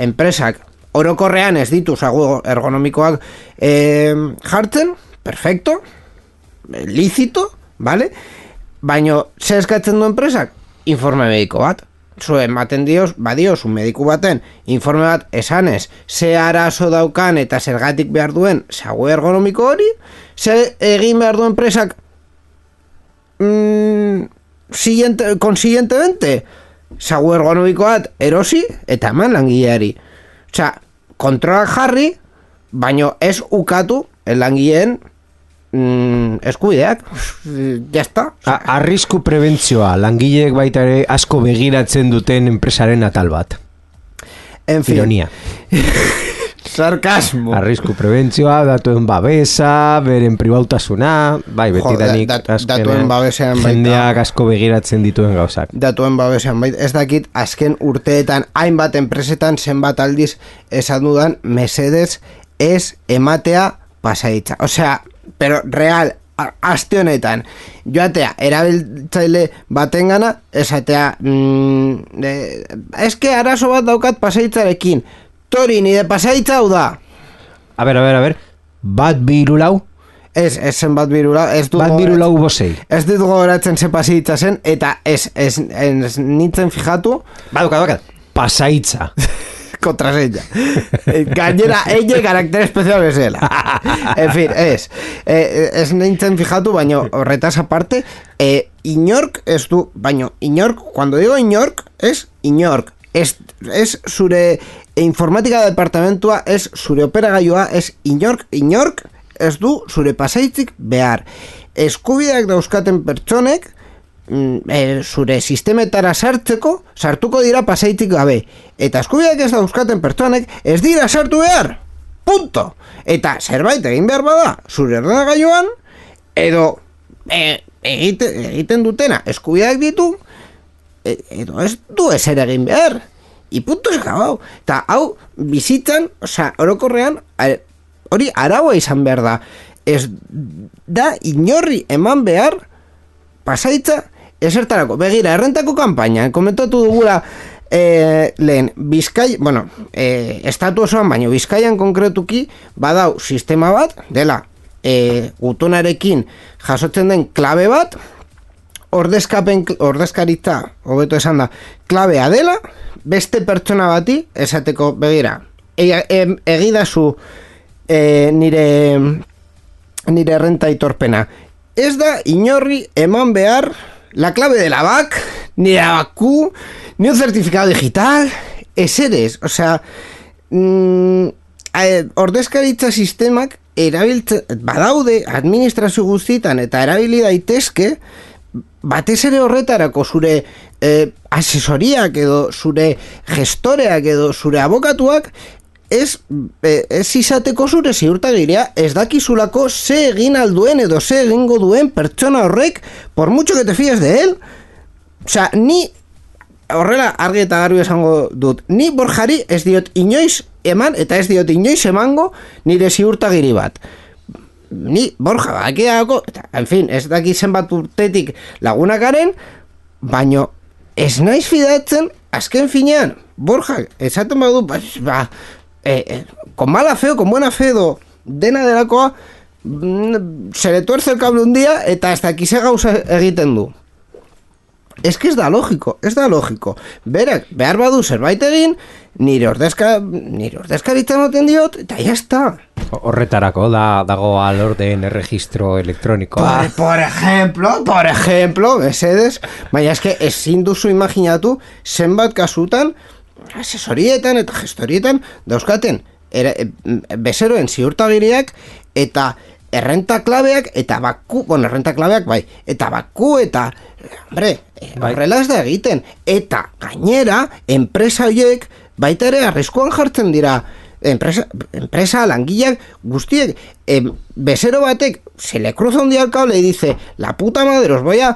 Enpresak orokorrean ez ditu sagu ergonomikoak jartzen, perfecto, lícito, vale? Baina, ze eskatzen du enpresak? Informe mediko bat. Zuen ematen badiozu mediku baten informe bat esanez ze arazo daukan eta zergatik behar duen sagu ergonomiko hori, ze egin behar duen enpresak consiguientemente sagu ergonomiko bat erosi eta eman langileari. Osea, kontrolak jarri, baino ez ukatu langileen eskubideak, jazta. Arrisku prebentzioa, langileek baita ere asko begiratzen duten enpresaren atal bat. En fin. Ironia. Sarkasmo. Arrisku prebentzioa, datuen babesa, beren pribautasuna, betidanik datuen babesean baita. Jendeak asko begiratzen dituen gauzak. Datuen babesean baita. Ez dakit, azken urteetan, hainbat enpresetan zenbat aldiz esan dudan, mesedez ez ematea pasaitza. Osea, pero real, aste honetan joatea erabiltzaile batengana esatea eske arazo bat daukat pasaitzarekin, tori nire pasaitza hau da. A ver, bat birulau? Ez zen bat birulau. Bat birulau bosei. Ez dut gogoratzen ze pasaitza zen, eta ez nintzen fijatu. Badukat, pasaitza. Contraseña. Gainera, ella karakter especial bezala. En fin, ez nintzen fijatu, baina horretaz aparte, inork ez du, baina inork, cuando digo inork, es inork. Ez zure informatika departamentua, ez zure operagailua, ez inork ez du zure pasaitzik behar. Eskubideak dauzkaten pertsonek, zure sistemetara sartuko dira pasaitik gabe, eta eskubideak ez dauzkaten pertsonek ez dira sartu behar, punto. Eta zerbait egin behar bada zure ordenagailuan, edo egiten dutena eskubideak ditu, edo ez du ezer egin behar, i punto esgabau. Eta hau bizitzan, osea, orokorrean hori araua izan behar da, ez da inorri eman behar pasaitza esertarako. Begira, errentako kanpaina, komentatu dugula lehen, estatu osoan, baino Bizkaian konkretuki badau sistema bat, dela gutunarekin jasotzen den klabe bat, ordezkaritza, hobeto esan da, klabea dela, beste pertsona bati, esateko, begira, egidazu nire errenta itorpena. Ez da inorri eman behar la clave de la BAC, ni la BACU, ni un certificado digital, eseres, osea, ordezkaritza sistemak badaude administrazio guztietan eta erabili daitezke, batez ere horretarako zure asesoriak edo zure gestoreak edo zure abokatuak ez izateko zure ziurtagiria, ez dakizulako ze egin alduen edo ze egingo duen pertsona horrek, por mucho que te fíes de él. Osea, ni horrela argi eta garbi esango dut, ni Borjari ez diot inoiz eman eta ez diot inoiz emango nire ziurtagiri bat. Ni Borja bakiako, en fin, ez daki zenbat urtetik lagunakaren, baino ez naiz fidatzen azken finean. Borja, esaten badu, con mala fe o con buena fe do dena delakoa, se le tuerce el cable un día eta ez daki ze gauza egiten du. Ez que ez da logiko. Berak, behar badu zerbait egin, nire ordezkaritza moten diot, eta jazta. Horretarako dago alorden erregistro elektronikoa. Por ejemplo, mesedes, baina eske ezin duzu imaginatu zenbat kasutan, asesorietan eta gestorietan dauzkaten bezeroen ziurtagiriak eta errenta klabeak eta baku, errenta klabeak bai, eta baku eta, horrela ez da egiten, eta gainera, enpresa horiek baita ere arriskuan jartzen dira, enpresa langileak guztiek, bezero batek se le cruza un día el cable y dice, la puta madre, os voy a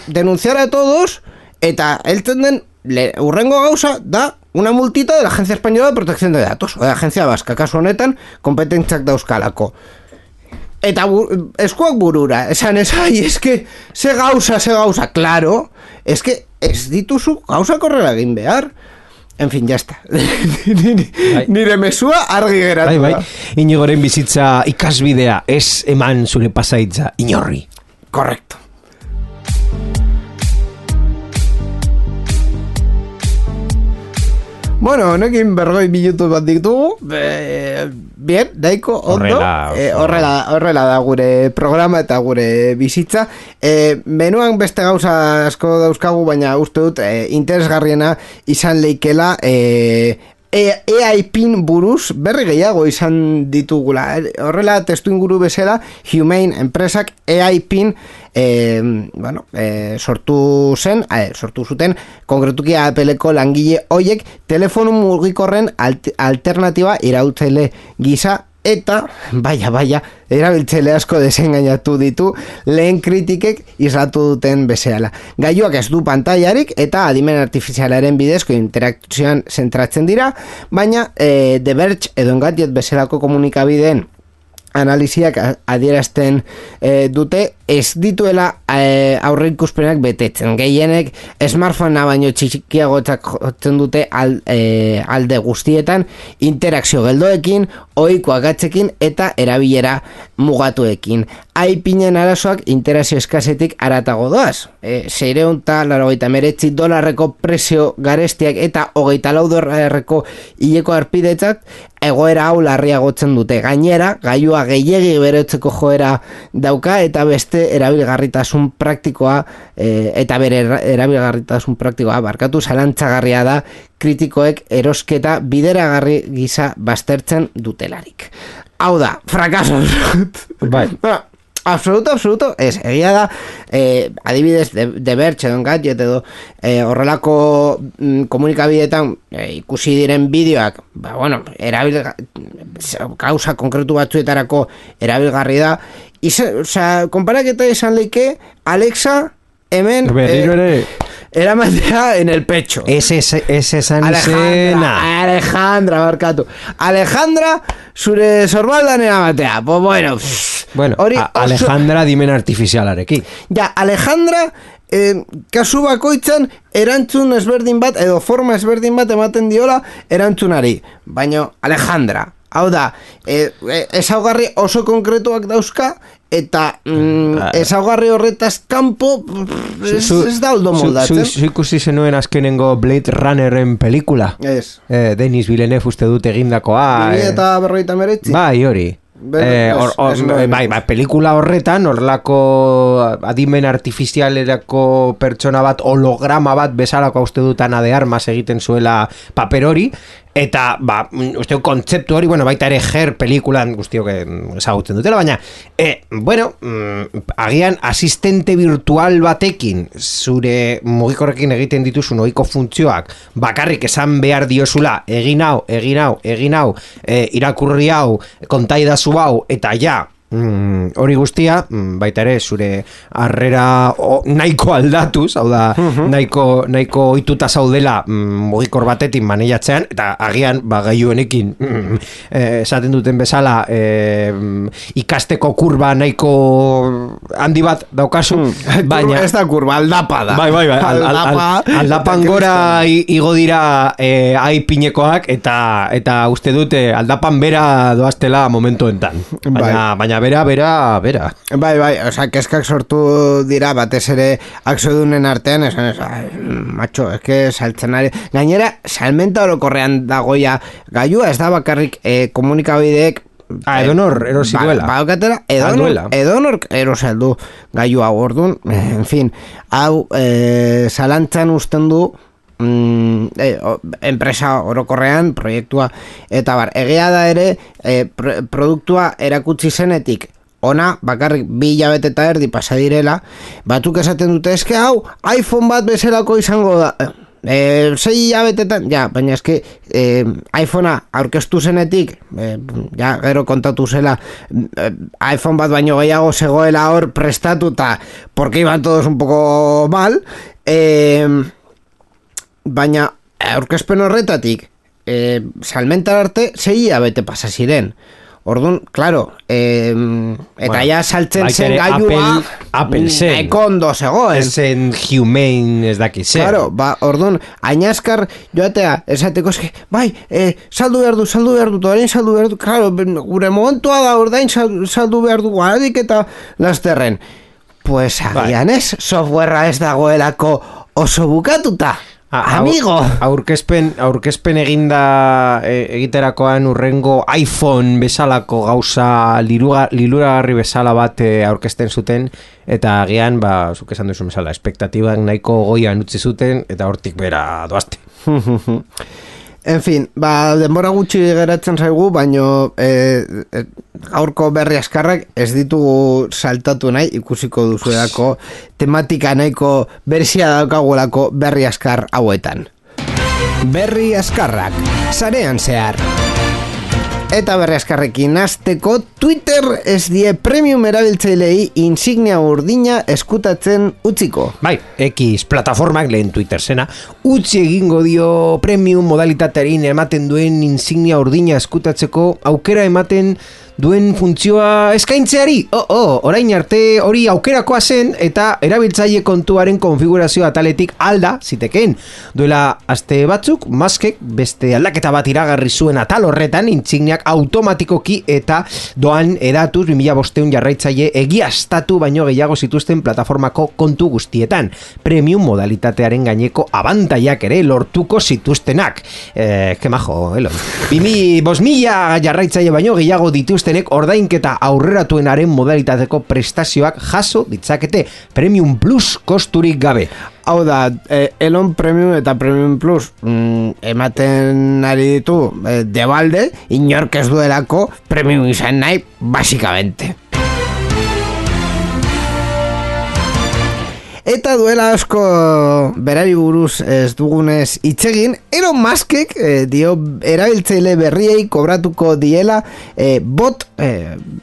denunciar a todos, eta heltzen den urrengo gauza da una multita de la Agencia Española de Protección de Datos, o de la Agencia Vasca, kasu honetan, kompetentziak dauzkalako. Eta eskuak burura, esan eske, ze gauza, claro, eske ez dituzu gauza korrela egin behar. En fin, ya está. Nire mesua argi geratu. Bai. Inigoren bizitza ikasbidea ez eman zure pasaitza inorri. Correcto. Bueno, honekin bergoi minutu bat ditugu. Bien, daiko ondo. Horrela da gure programa eta gure bizitza. Menuan beste gauza asko dauzkagu, baina uste dut interesgarriena izan leikela EIPin buruz berri gehiago izan ditugula. Horrela testu inguru bezala Humane enpresak EIPin sortu zuten konkretuki Appleko langile hoiek telefono mugikorren alternatiba irautzaile gisa eta baia erabiltzaile asko desengainatu ditu lehen kritikek islatu duten bezala. Gailuak ez du pantailarik eta adimen artifizialaren bidezko interakzioan zentratzen dira, baina The Verge edo Engadget bezalako komunikabideen analiziak adierazten dute ez dituela aurreikuspenak betetzen. Gehienek smartphonea baino txikiagotzak jotzen dute alde guztietan interakzio geldoekin, ohiko agatzekin eta erabilera mugatuekin. EIPinen arazoak interakzio eskasetik aratago doaz. $689 prezio garestiak eta $24 hileko arpidetzak egoera hau larriagotzen dute. Gainera, gailua gehiegi berotzeko joera dauka eta beste erabilgarritasun praktikoa barkatu zalantzagarria da kritikoek erosketa bideragarri gisa baztertzen dutelarik. Hau da, frakaso. Bai. Absoluto, ez, egia da, adibidez, The Verge edo Engadget edo horrelako komunikabideetan ikusi diren bideoak, kausa konkretu batzuetarako erabilgarri da, konparaketa esan leike, Alexa, hemen, eramatea en el pecho. Ese esan izena. Alejandra, zure sorbaldan eramatea. Pues bueno, Alejandra dimen artifizialarekin. Ja, Alejandra kasu bakoitzan erantzun ezberdin bat edo forma ezberdin bat ematen diola erantzunari. Baina Alejandra, hau da, ezaugarri oso konkretuak dauzka eta ezaugarri horretaz kanpo ez da oldo moldatzen. Zu ikusi zenuen azkenengo Blade Runneren pelikula? Ez. Denis Villeneuve uste dut egindakoa. Eta 59. Bai, hori. Pelikula horretan horrelako adimen artifizialerako pertsona bat holograma bat bezalako uste dut Ana de Armas egiten zuela paper hori Eta, uste kontzeptu hori, baita ere Her pelikulan guztiok ezagutzen dutela, baina, agian asistente virtual batekin, zure mugikorrekin egiten dituzun ohiko funtzioak, bakarrik esan behar diozula, egin hau, irakurri hau, kontaidazu hau, eta ja, hori guztia, baita ere zure harrera nahiko aldatuz, hau da nahiko ohituta zaudela mugikor batetik maneiatzean, eta agian gailuenekin esaten duten bezala ikasteko kurba nahiko handi bat daukazu, baina ez da kurba, aldapa da. Bai, aldapan gora igo dira aipinekoak, eta uste dute aldapan bera doaztela momentu enten. Baina bera. Bai, oza, keskak sortu dira batez ere akzodunen artean, macho, eske saltzen ari. Gainera, salmenta orokorrean dagoia gailua, ez da bakarrik komunikabideek edonor erosi duela. Edonor erosi aldu gailua ordun, en fin, hau zalantzan usten du enpresa orokorrean proiektua eta egia da ere produktua erakutsi zenetik ona bakarrik 2 hilabete eta erdi pasa direla, batzuk esaten dute eske hau iPhone bat bezalako izango da 6 hilabetetan, baina eske iPhonea aurkeztu zenetik gero kontatu zela iPhone bat baino gehiago zegoela hor prestatuta porque iban todos un poco mal, baina aurkezpen horretatik salmentar arte 6 hilabete pasa ziren. Orduan, claro, eta ja saltzen zen gailua Apple zen ekondo zegoen. Esen humane ez dakiz zen. Claro, hain azkar joatea, esateko eske, saldu behar du, orain saldu behar du, claro, gure momentua da ordain saldu behar du guaradik eta lasterren. Pues agian ez, softwarea ez dagoelako oso bukatuta. Amigo! Aurkezpen egiterakoan urrengo iPhone bezalako gauza liluragarri bezala bat aurkezten zuten, eta agian, zuk esan duzu bezala, espektatibak nahiko goian utzi zuten, eta hortik bera doazte. En fin, denbora gutxi geratzen zaigu, baino gaurko berri askarrak ez ditugu saltatu nahi, ikusiko duzuelako tematika nahiko berzia daukagulako berri askar hauetan. Berri askarrak, sarean zehar. Eta berri askarrekin hasteko, Twitter ez die premium erabiltzailei insignia urdina eskutatzen utziko. Bai, X plataformak lehen Twitter zena, utzi egingo dio premium modalitatearin ematen duen insignia urdina eskutatzeko aukera ematen duen funtzioa eskaintzeari. Orain arte hori aukerakoa zen eta erabiltzaile kontuaren konfigurazio ataletik alda zitekeen. Duela aste batzuk, Muskek beste aldaketa bat iragarri zuen atal horretan insigniak automatikoki eta doan edatuz 2500 jarraitzaile egiaztatu baino gehiago zituzten plataformako kontu guztietan. Premium modalitatearen gaineko abantaiak ere lortuko zituztenak. Que majo, Elon. 5.000 jarraitzaile baino gehiago dituztenek ordainketa aurreratuenaren modalitateko prestazioak jaso ditzakete Premium Plus kosturik gabe. Hau da, Elon Premium eta Premium Plus ematen ari ditu debalde, inork ez duelako Premium izan nahi, basikamente. Eta duela asko berari buruz ez dugunez itzegin, Elon Muskek dio erabiltzaile berriei kobratuko diela bot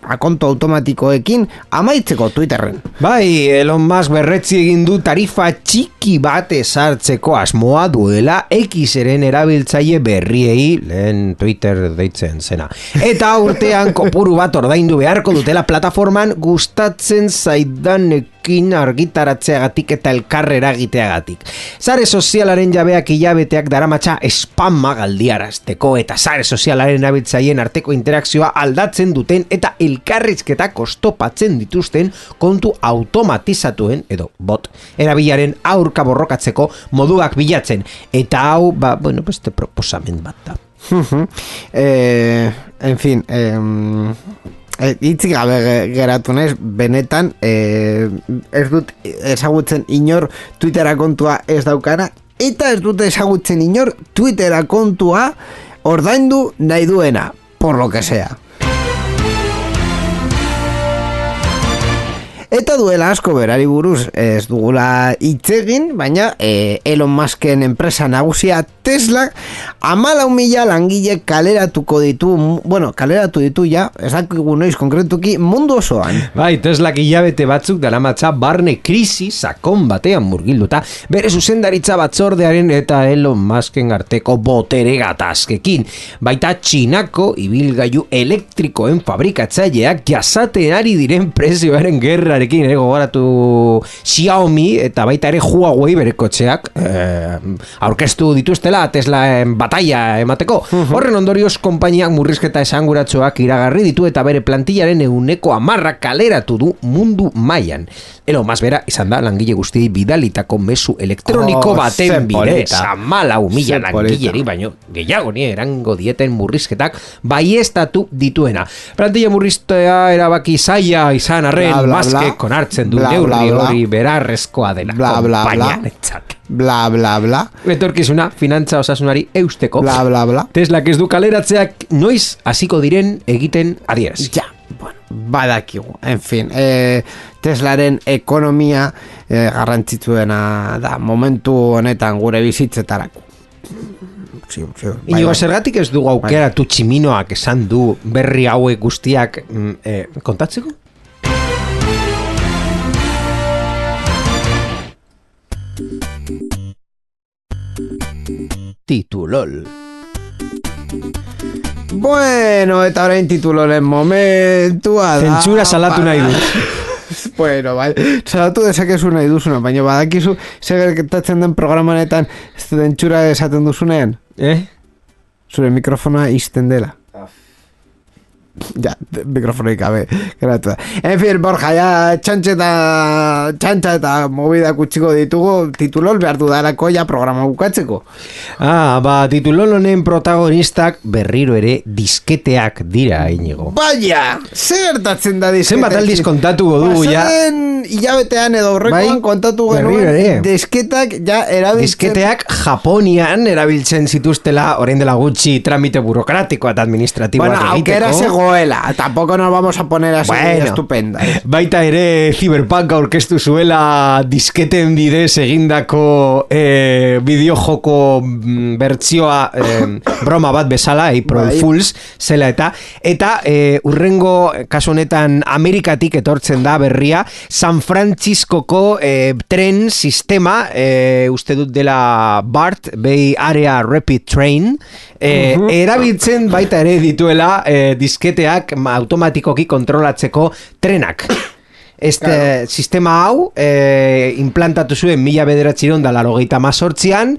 akonto automatikoekin amaitzeko Twitterren. Bai, Elon Musk berretzi egin du tarifa txiki bat ezartzeko asmoa duela Xeren erabiltzaile berriei, lehen Twitter deitzen zena. Eta urtean kopuru bat ordaindu beharko dutela plataforman gustatzen zaidanekin argitaratzeagatik eta elkarrera egiteagatik. Sare sozialaren jabeak hilabeteak daramatza spamma galdiarazteko eta sare sozialaren erabiltzaileen arteko interakzioa aldatzen duten eta elkarrizketa kostopatzen dituzten kontu automatizatuen edo bot erabilaren aurka borrokatzeko moduak bilatzen. Eta hau, beste proposamen bat da. En fin, hitzik gabe geratu naiz, benetan ez dut ezagutzen inor Twittera kontua ez daukana, eta ez dut ezagutzen inor Twittera kontua ordaindu nahi duena, por lo que sea. Eta duela asko berari buruz ez dugula hitz egin, baina Elon Musken enpresa nagusia Tesla 14.000 langile kaleratuko ditu, kaleratu ditu ja, ez dakigu noiz konkretuki mundu osoan. Bai, Teslak hilabete batzuk daramatza barne krisi sakon batean murgilduta, bere zuzendaritza batzordearen eta Elon Musken arteko botere gatazkekin. Baita Txinako ibilgailu elektrikoen fabrikatzaileak jasaten ari diren prezioaren gerrarekin gogoratu Xiaomi eta baita ere Huawei bere kotxeak aurkeztu dituztela Teslaen bataia emateko. Horren ondorioz konpainiak murrizketa esanguratsuak iragarri ditu eta bere plantillaren 10% kaleratu du mundu mailan. Elon Musk bera izan da langile guztiei bidalitako mezu elektroniko baten bidez 14.000 langileri baino gehiago ni erango dieten murrizketak baiestatu dituena. Plantilla murriztea erabaki zaila izan arren Muskek onartzen du neurri hori berarrezkoa dela konpainiarentzat. Bla, bla, bla. Etorkizuna, finantza osasunari eusteko. Bla, bla, bla. Teslak ez du kaleratzeak noiz hasiko diren egiten adieraz. Ja, bueno, badakigu. En fin, Teslaren ekonomia garrantzitsuena da momentu honetan gure bizitzetarako. Inigo, zergatik ez dugu aukeratu Tximinoak esan du berri hauek guztiak kontatzeko? Titulol. Bueno, eta orain tituloren momentua da. Zentsura salatu nahi du. Bueno, bai, salatu dezakezu nahi duzuna, baina badakizu zer gertatzen den programanetan zentsura esaten duzunean? Zure mikrofona izten dela. Ja, mikrofonoik gabe geratu da. En fin, Borja, ja txantxa eta movida kutsiko ditugu titulol behar dudalako ja programa bukatzeko. Titulol honen protagonistak berriro ere disketeak dira, Inigo. Baina, zer gertatzen da disketeak? Zenbat aldiz kontatuko dugu, ja. Pasaden hilabetean edo horrekoan kontatu genuen disketak ja erabiltzen. Disketeak Japonian erabiltzen zituztela orain dela gutxi tramite burokratiko eta administratiboak egiteko. Aukera zegoela, tampoco nos vamos a poner así estupenda. Baita ere Cyberpunk aurkeztu zuela disketen bidez egindako bideojoko bertsioa broma bat bezala, April Fools zela eta urrengo kasu honetan Amerikatik etortzen da berria San Franciscoko tren sistema, uste dut dela BART, Bay Area Rapid Train, erabiltzen baita ere dituela disketeak automatikoki kontrolatzeko trenak. Sistema hau implantatu zuen 1988an,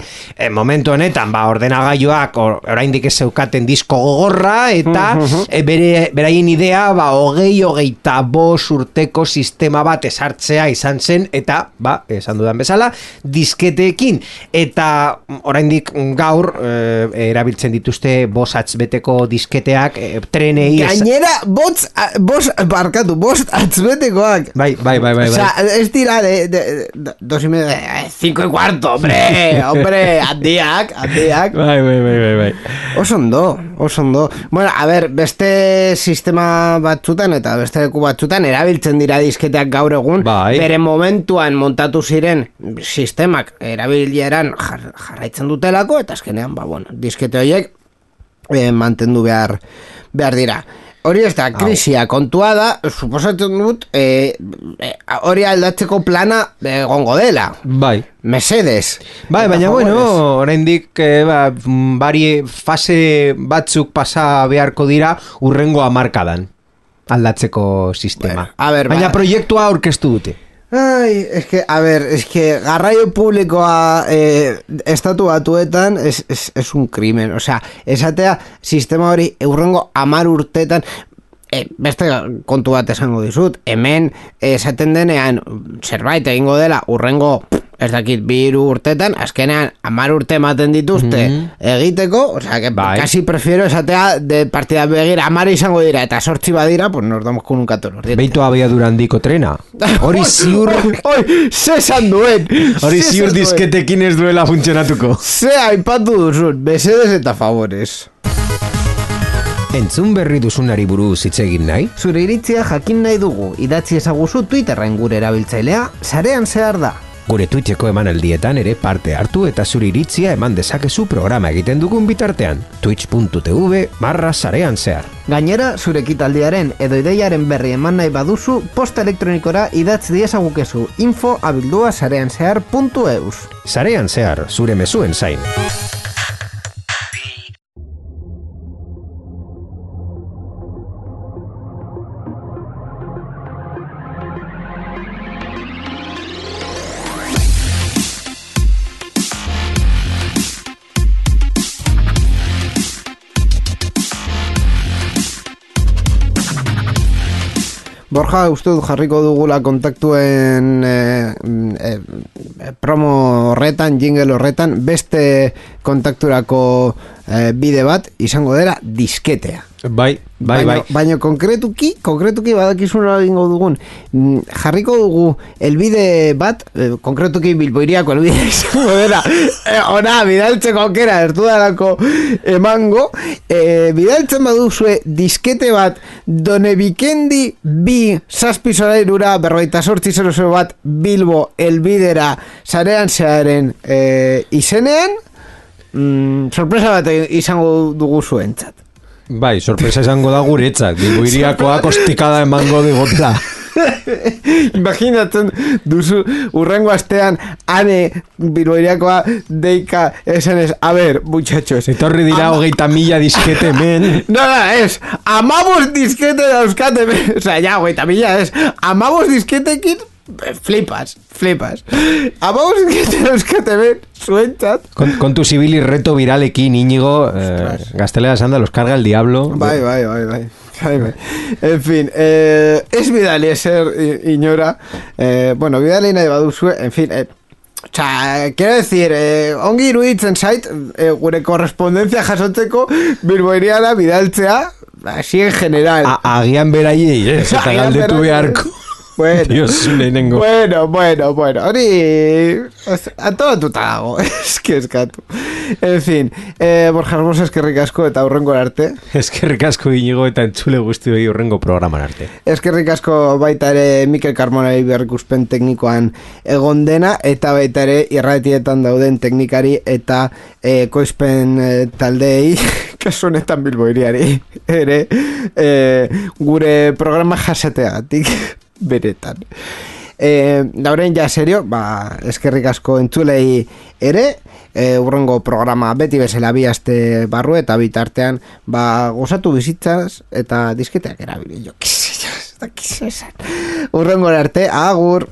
momentu honetan ordenagailuak oraindik ez zeukaten disko gogorra eta beraien idea 25 urteko sistema bat esartzea izan zen eta esan dudan bezala disketeekin eta oraindik gaur erabiltzen dituzte 5 atz beteko disketeak trenei gainera 5 atz betekoak. Bai. O sea, es dira de 2,5, 5,15, hombre, handiak. Bai. Osondo. Bueno, a ver, beste sistema batzutan eta beste leku batzutan erabiltzen dira disketeak gaur egun, bere momentuan montatu ziren sistemak erabileran jarraitzen dutelako, eta azkenean, diskete horiek mantendu behar dira. Hori ez da, krisia kontua da, suposatzen dut, hori aldatzeko plana egongo dela. Bai. Mesedes. Bai, baina oraindik bari fase batzuk pasa beharko dira urrengo hamarkadan aldatzeko sistema. Baina proiektua aurkeztu dute. Ai, es que garraio publikoa estatu batuetan es un crimen, o sea, esatea sistema hori urrengo 10 urtetan beste kontu bat esango dizut, hemen esaten denean zerbait egingo dela urrengo ez dakit 2 urtetan, azkenean 10 urte ematen dituzte egiteko, o sea, que casi prefiero esatea de partida begira 10 izango dira, eta 8 badira, pues nos damos con un 14. Beitu abiadura handiko trena. Hori ziur... Zesan duen! Hori ziur disketekin ez duela funtzionatuko. Ze aipatu duzun, besedes eta favores. Entzun berri duzunari buruz hitz egin nahi? Zure iritzia jakin nahi dugu, idatzi ezaguzu Twitterren gure erabiltzailea, sarean zehar da. Gure Twitcheko emanaldietan ere parte hartu eta zure iritzia eman dezakezu programa egiten dugun bitartean. twitch.tv/sarean zehar. Gainera, zure ekitaldiaren edo ideiaren berri eman nahi baduzu, posta elektronikora idatz diezagukezu info@sareanzehar.eus. Sarean zehar, zure mezuen zain. Borja, uste dut jarriko dugula kontaktuen promo horretan, jingle horretan, beste kontakturako bide bat izango dela disketea. Bai. Baina konkretuki badakizuna egingo dugun, jarriko dugu elbide bat, konkretuki Bilboiriako elbide izango dela, ona, bidaltzeko aukera ertudalako emango, bidaltzen baduzue diskete bat, Donebikendi 2 zazpi sorairura 4800 bat Bilbo elbidera sarean zearen izenean, sorpresa bat izango dugu zuentzat. Bai, sorpresa izango da guretzak, Bilboiriakoa kostikada emango digotela. Imaginatzen duzu urrengo astean ane Bilboiriakoa deika esanez, a ver, muchachos, etorri dira 30.000 diskete men. No, es, amabos diskete dauzkate men. O sea, ya, 30.000 es, amabos disketekin flipas. Amabos diskete dauzkate men, zuentzat. Kontu zibili reto viralekin, Íñigo, gaztelera esan da, los carga el diablo. Bai. En fin, ez bidali eser inora, bueno, bidali nahi baduzue, en fin, o sea, quiero decir, ongi iruditzen zait, gure korrespondencia jasotzeko Bilboiriara bidaltzea, así en general. Agian beraiei, eta galdetu beharko. Bueno, Dios, bueno, hori antolatuta dago, eskatu. En fin, Borja Hermoso, eskerrik asko eta hurrengo arte. Eskerrik asko Íñigo eta entzule guztioi hurrengo programan arte. Eskerrik asko baita ere Mikel Carmonari berrikuspen teknikoan egon dena, eta baita ere irratietan dauden teknikari eta koizpen taldeei, kasu honetan Bilboiriari ere, gure programa jasateagatik beretan. Dauren ja serio, eskerrik asko entzulei ere, urrengo programa beti bezala bi aste barru eta bitartean gozatu bizitzaz eta disketeak erabili jo. Urrengo arte, agur!